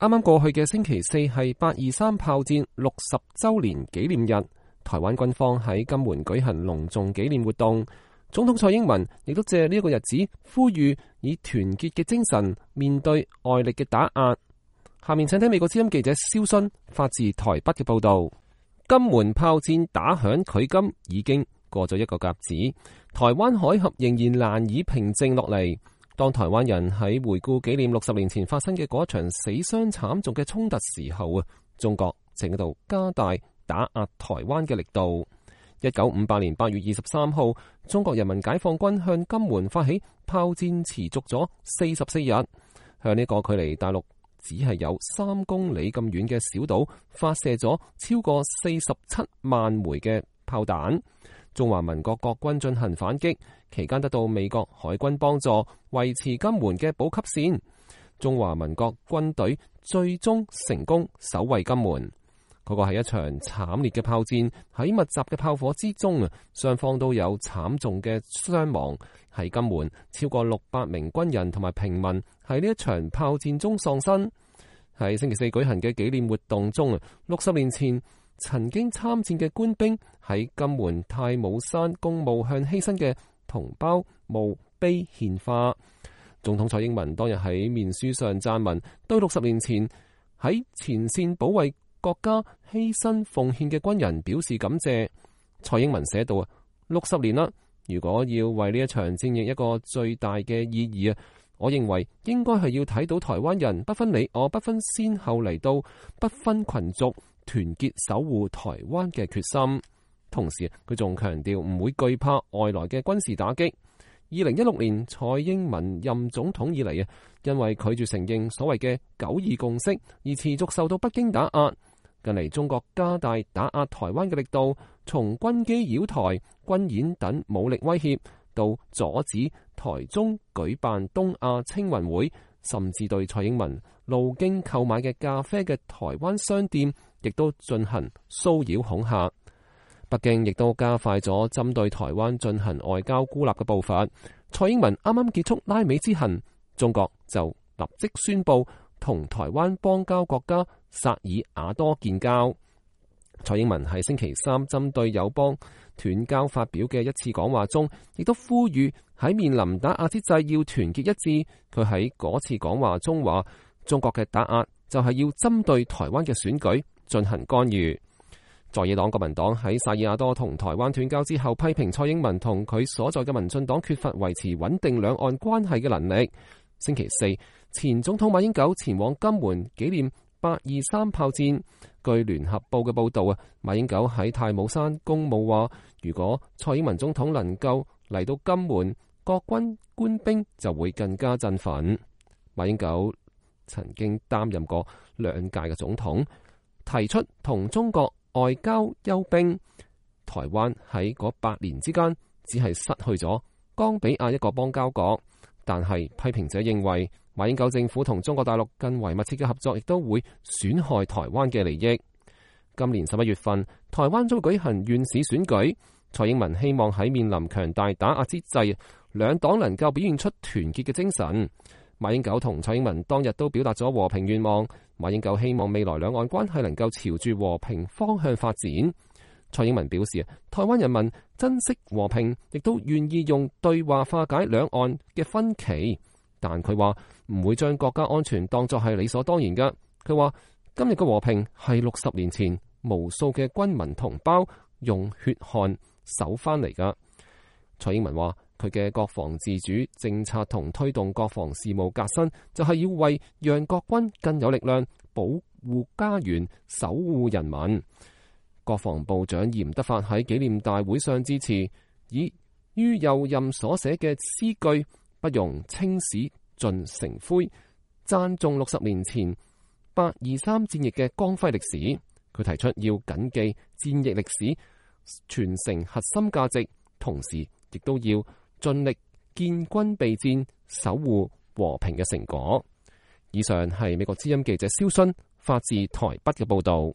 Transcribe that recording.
啱啱過去嘅星期四係823炮戰60週年紀念日，台灣軍方喺金門舉行隆重紀念活動。總統蔡英文亦都借呢一個日子呼籲以團結嘅精神面對外力嘅打壓。下面請聽美國之音記者蕭勳發自台北嘅報道。金門炮戰打響距今已經過咗一個甲子，台灣海峽仍然難以平靜落嚟。當台灣人喺回顧紀念60年前發生嘅嗰場死傷慘重嘅衝突時候啊，中國正喺度加大打壓台灣嘅力度。1958年8月23號，中國人民解放軍向金門發起炮戰，持續咗44日，向呢個距離大陸只係有3公里咁遠嘅小島發射咗超過47萬枚嘅炮彈。中華民國國軍進行反擊，期間得到美國海軍幫助，維持金門嘅補給線。中華民國軍隊最終成功守衛金門。嗰個係一場慘烈嘅炮戰，喺密集嘅炮火之中啊，雙方都有慘重嘅傷亡。喺金門，超過600名軍人同埋平民喺呢一場炮戰中喪生。喺星期四舉行嘅紀念活動中啊，60年前曾經參戰嘅官兵喺金門太武山公墓向犧牲嘅同胞墓碑獻花。總統蔡英文當日喺面書上撰文，對60年前喺前線保衛國家犧牲奉獻嘅軍人表示感謝。蔡英文寫道：60年啦，如果要為呢一場戰役一個最大嘅意義啊，我認為應該係要睇到台灣人不分你我、不分先後嚟到、不分群族，團結守護台灣嘅決心。同時，佢仲強調唔會懼怕外來嘅軍事打擊。2016年蔡英文任總統以嚟啊，因為拒絕承認所謂嘅9·2共識而持續受到北京打壓。近嚟中國加大打壓台灣嘅力度，從軍機擾台、軍演等武力威脅，到阻止台中舉辦東亞青運會，甚至對蔡英文路經購買嘅咖啡嘅台灣商店，亦都進行騷擾恐嚇。北京亦都加快咗針對台灣進行外交孤立嘅步伐。蔡英文啱啱結束拉美之行，中國就立即宣布同台灣邦交國家薩爾瓦多建交。蔡英文喺星期三針對友邦斷交發表嘅一次講話中，亦都呼籲喺面臨打壓之際要團結一致。佢喺嗰次講話中話，中國嘅打壓就係要針對台灣嘅選舉進行干預。在野黨國民黨喺薩爾瓦多同台灣斷交之後，批評蔡英文同佢所在嘅民進黨缺乏維持穩定兩岸關係嘅能力。星期四，前總統馬英九前往金門紀念823炮戰。據聯合報嘅報道啊，馬英九喺太武山公墓話，如果蔡英文總統能夠嚟到金門，國軍官兵就會更加振奮。馬英九曾經擔任過2屆嘅總統，提出同中國外交休兵。台灣喺嗰8年之間，只係失去咗岡比亞一個邦交國。但係批評者認為，馬英九政府同中國大陸更為密切嘅合作，亦都會損害台灣嘅利益。今年11月份，台灣將會舉行縣市選舉。蔡英文希望喺面臨強大打壓之際，兩黨能夠表現出團結嘅精神。馬英九同蔡英文當日都表達咗和平願望。馬英九希望未來兩岸關係能夠朝住和平方向發展。蔡英文表示，台灣人民珍惜和平，亦都願意用對話化解兩岸嘅分歧。但佢話唔會將國家安全當作係理所當然嘅。佢話今日嘅和平係60年前無數嘅軍民同胞用血汗守翻嚟噶。蔡英文話佢嘅國防自主政策同推動國防事務革新，就係要為讓國軍更有力量保護家園、守護人民。國防部長嚴德發喺紀念大會上致辭，以於右任所寫嘅詩句不容青史盡成灰，讚頌60年前823戰役嘅光輝歷史。佢提出要謹記戰役歷史，傳承核心價值，同時亦都要盡力建軍備戰，守護和平嘅成果。以上係美國之音記者蕭勳發自台北嘅報道。